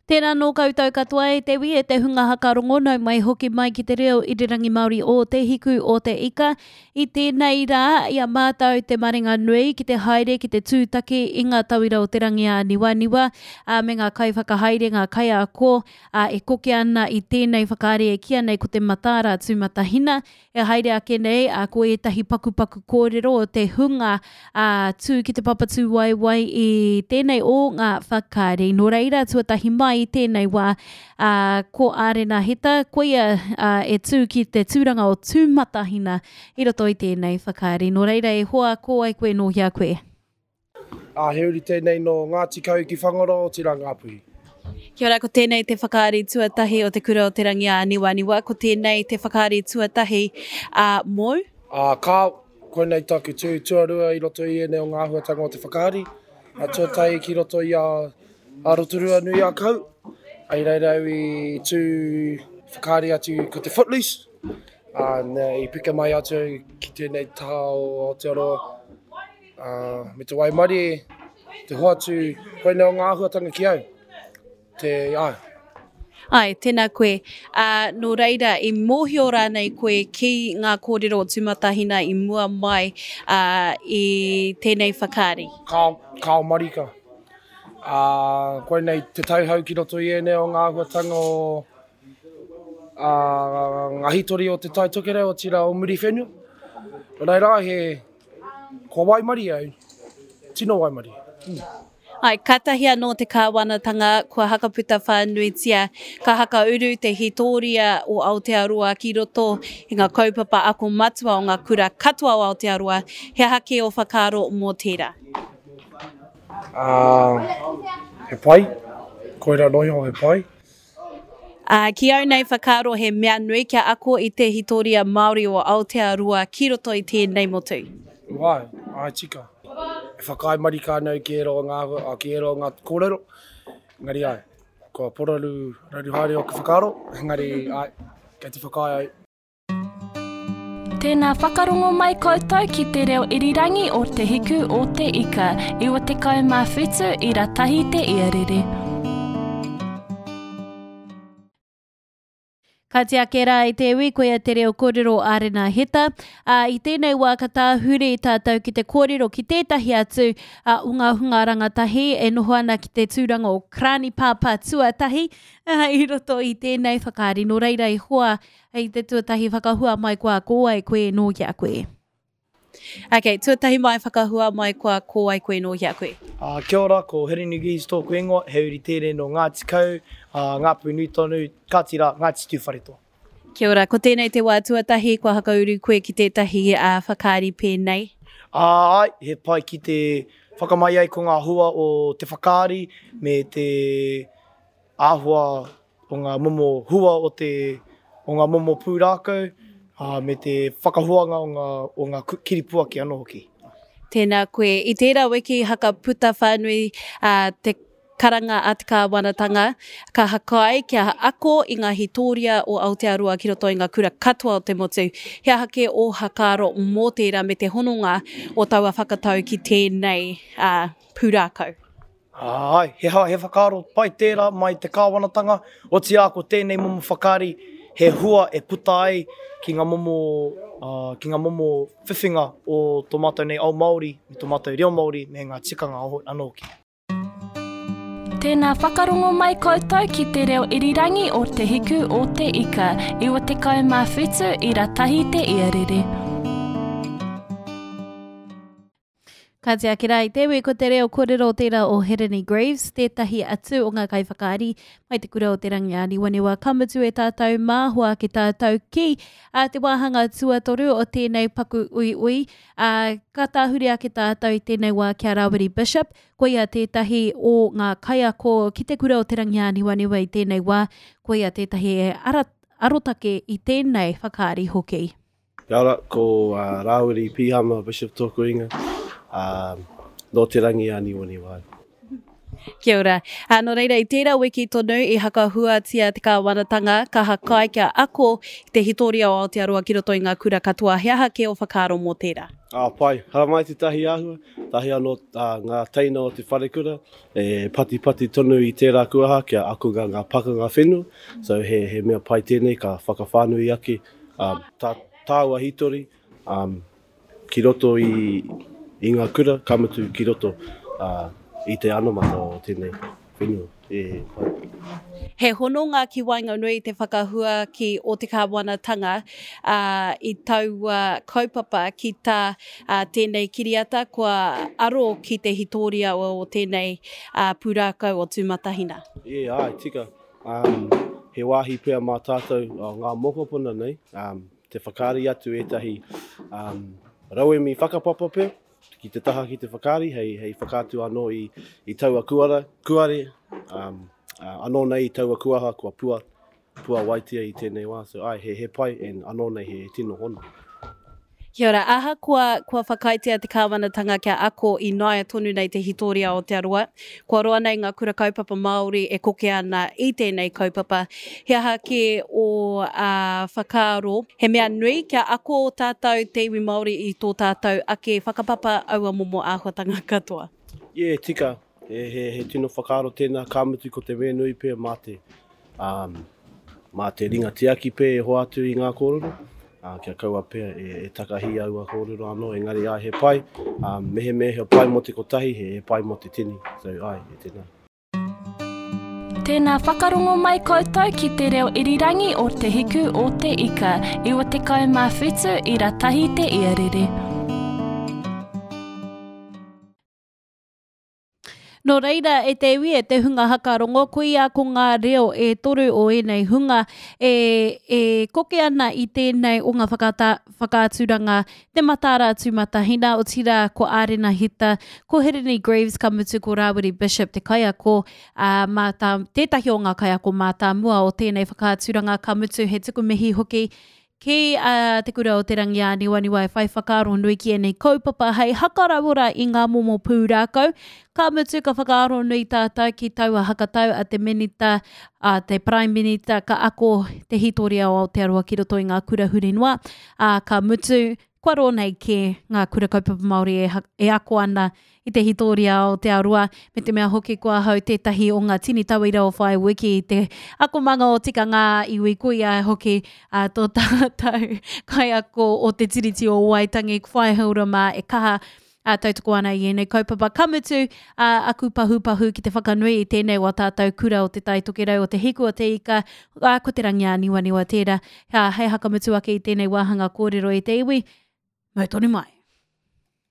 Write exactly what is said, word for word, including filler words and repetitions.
Tēnā nō koutou katoa e te wi e te hunga hakarongo nau mai hoki mai ki te reo irirangi Māori o Te Hiku o Te Ika. I tēnei rā, i a mātou te maringa nui ki te haere ki te tūtaki i ngā tauira o te rangi āniwaniwa ā, me ngā kaiwhakahaere, ngā kaiako ā, e koke ana i tēnei whakaari e kīia nei ko te mataara tūmatahina. E haere ake nei, ā, ko ētahi pakupaku kōrero o te hunga ā, tū ki te papatūwaewae i tēnei o ngā whakaari. Nō reira, tuatahi mai i tēnei wā, ā, ko Ārena Heta, koia ā, e tū ki te tūranga o Tūmatahina i roto i tēnei whakaari. Nō reira, e hoa, ko wai koe nō hea koe? Ā, he uri tēnei nō Ngāti Kahu ki Whangaroa, otirā Ngāpuhi. Kia ora, ko tēnei te whakaari tuatahi o Te Kura o Te Rangi Āniwaniwa, ko tēnei te whakaari tuatahi ā, mōu? Ā, kāo, koinei taku tū tuarua i roto i ēnei o ngā āhuatanga o te whakaari, ā, tuatahi ki roto i a, a Rotorua nui a Kau, i reira au i tū whakaari atu ko te Footloose, ā, nā, i peka mai atu au ki tēnei taha o Aotearoa, ā, me te waimarie, te hoatu, koinei o ngā āhuatanga ki au. Te, āe. Āe, tēnā koe. Ā, nō reira, i mōhio rānei koe ki ngā kōrero o Tūmatahina i mua mai, ā, i tēnei whakaari? Kāo, kāo marika. Ā, koinei te tauhou ki roto i ēnei o ngā āhuatanga o, ā, ngā hītori o Te Tai Tokerau, otirā o Muriwhenua. Nō reira, he, kua waimarie au, tino waimarie. Mm. Āe, kātahi anō te kāwanatanga kua hakaputa whānuitia, ka hakauru te hītōria o Aotearoa ki roto i ngā kaupapa ako matua o ngā kura katoa o Aotearoa. He aha kē ō whakaaro mō tērā? Ā, he pai. Koirā noa iho he pai. Ā, ki au nei whakaaro he mea nui kia ako i te hītōria Māori o Aotearoa ki roto i tēnei motu. Āe, āe tika. E whakaae marika ana au ki ērā o ngā āhua, ki ērā o ngā kōrero, engari āe, kua poraru raru haere ōku whakaaro, engari āe, kei te whakaae au. Tēnā whakarongo mai koutou ki te reo irirangi o Te Hiku o Te Ika, iwa tekau mā whitu ira tahi te iarere. Ka tiake rā i te iwi, koia te reo kōrero a Rena Heta. Ā, i tēnei wā ka tāhure tātou ki te kōrero ki tētahi atu ā, o ngā hunga rangatahi e noho ana ki te tūranga o Karani Pāpā tuatahi ā, i roto i tēnei whakaari. Nō reira i hoa i te tuatahi whakahua mai koa ko wai koe nō hea koe. Ok, tuatahi mai whakahua mai koa ko wai koe nō hea koe. Uh, kia ora, ko Hirini Gees tōku ingoa, he uri tēnei nō Ngāti Kau, uh, Ngāpuhi nui tonu, kāti rā, Ngāti Tūwharetoa. Kia ora, ko tēnei te wā tuatahi kua hakauru koe ki tētahi uh, whakaari pēnei? Āe, he pai ki te whakamai ai ko ngā hua o te whakaari me te āhua o ngā momo hua o te, o ngā momo pūrākau, ā, me te whakahuanga o ngā, o ngā kiripuaki anō hoki. Tēnā koe. I tērā wiki haka puta whānui ā, te karanga a te kāwanatanga, ka hakai kia ako i ngā hītōria o Aotearoa ki roto i ngā kura katoa o te motu. He aha kē ō hakaaro mō tērā me te hononga o taua whakatau ki tēnei ā, pūrākau? Āe, he ha, he whakaaro pai tērā mai te kāwanatanga, otirā ko tēnei momo whakaari he hua e puta ai ki ngā momo, uh, ki ngā momo whiwhinga o tō mātou nei ao Māori, me tō mātou reo Māori, me ngā tikanga anō hoki. Tēnā whakarongo mai koutou ki te reo irirangi o Te Hiku o Te Ika, iwa tekau mā whitu ira tahi te iarere. Ka tiaki rā i te iwi, ko te reo kōrero tērā o Hirini Greaves, tētahi atu o ngā kaiwhakaari mai te kura o Te Rangiāniwaniwa. Ka mutu e tātou mā, hoake tātou ki a te wāhanga tuatoru o tēnei paku uiui. Ā, ka tāhuri ake tātou i tēnei wā ki a Rāwiri Bishop, koia tētahi o ngā kaiako ki te kura o Te Rangiāniwaniwa i tēnei wā, koia tētahi e ara, arotake i tēnei whakaari hoki. Kia ora, ko Rāwiri Pihama Bishop tōku ingoa, ā, nō Te Rangiāniwaniwa au. Kia ora. Uh, nō reira, i tērā wiki tonu i hakahuatia te kāwanatanga ka hakai kia ako i te hitoria o Aotearoa ki roto i ngā kura katoa. He aha ke o whakaaro mō tērā? Ah, pai. Haramai te tahi āhua, tahi anō uh, ngā teina o te wharekura, e patipati tonu i tērā kuaha kia ako ngā, ngā pakanga whenua. So he, he mea pai tēnei ka whakawhānui ake um, tā, tāua hitori um, ki roto i, i ngā kura, ka mutu ki roto uh, i te anamata o tēnei whenua. E, pai. He hononga ki waenganui te whakahua ki o te kāwanatanga uh, i taua kaupapa ki tā uh, tēnei kiriata kua aro ki te hitoria o, o tēnei uh, pūrākau o Tūmatahina. E, ai, tika. Um, he wāhi pea mā tātou o ngā mokopuna nei, um, te whakaari atu ētahi um, rauemi whakapapa pea, ki te taha ki te whakaari, hei, hei whakaatu anō i, i taua kuara, kuare, um, uh, anō nei i taua kuaha kua pua, pua waitia i tēnei wā. So, ai, he, he pai, and anō nei he tino hono. Kia ora, ahakoa kua whakaaetia te kāwanatanga kia ako i naia tonu nei te hitoria o Aotearoa, kua roa nei ngā kura kaupapa Māori e koke ana i tēnei kaupapa. He aha ke o uh, whakaaro, he mea nui kia ako tātou te iwi Māori i tō tātou ake whakapapa aua momo āhuatanga katoa. Yeah, tika. He, he, he tino whakaaro tēnā, ka mutu ko te mea nui pea mā te, um, mā te ringa tiaki pea e hoatu i ngā kōrero. Uh, kia kaua pea e, e takahi aua kōrero anō, engari ai he pai, um, mehemea he pai mō te kotahi, he, he pai mō te tini, so ai, e tēnā. Tēnā whakarongo mai koutou ki te reo irirangi o Te Hiku o Te Ika, iwa tekau mā whitu ira tahi te iarere. Nō reira, e te iwi, e te hunga hakarongo, koia ko ngā reo e toru o ēnei hunga e, e koke ana i tēnei o ngā whakata, whakaaturanga Te Mataara Tūmatahina, otirā ko Ārena Hita, ko Hirini Greaves, ka mutu ko Rāwiri Bishop te kaiako, uh, mātā, tētahi o ngā kaiako mātāmua o tēnei whakaaturanga, ka mutu he tuku mihi hoki ki uh, te kura o Te Rangiāniwaniwa e whai whakaaro nui ki ēnei kaupapa hei hakarauora i ngā momo pūrākau. Ka mutu ka whakaaro nui tātou ki taua hakatau a te minita, a te Prime Minita, ka ako te hitoria o Aotearoa ki roto i ngā kura huri noa. Uh, ka mutu, kua roa nei kē ngā kura kaupapa Māori e, e ako ana i te hitoria o Aotearoa, me te mea hoki ko ahau tētahi o ngā tini tauira o Whai Wiki i te akomanga o tikanga iwi koia hoki uh, tō tātou kaiako o te Tiriti o Waitangi, Whai Haura mā e kaha uh, tautoko ana i ēnei kaupapa. Ka mutu uh, aku pahupahu ki te whakanui i tēnei wa tātou kura o Te Tai Tokerau o Te Hiku o Te Ika, uh, ko Te Rangiāniwaniwa tērā. Uh, hei hakamutu ake i tēnei wāhanga kōrero e te iwi, mau tonu mai.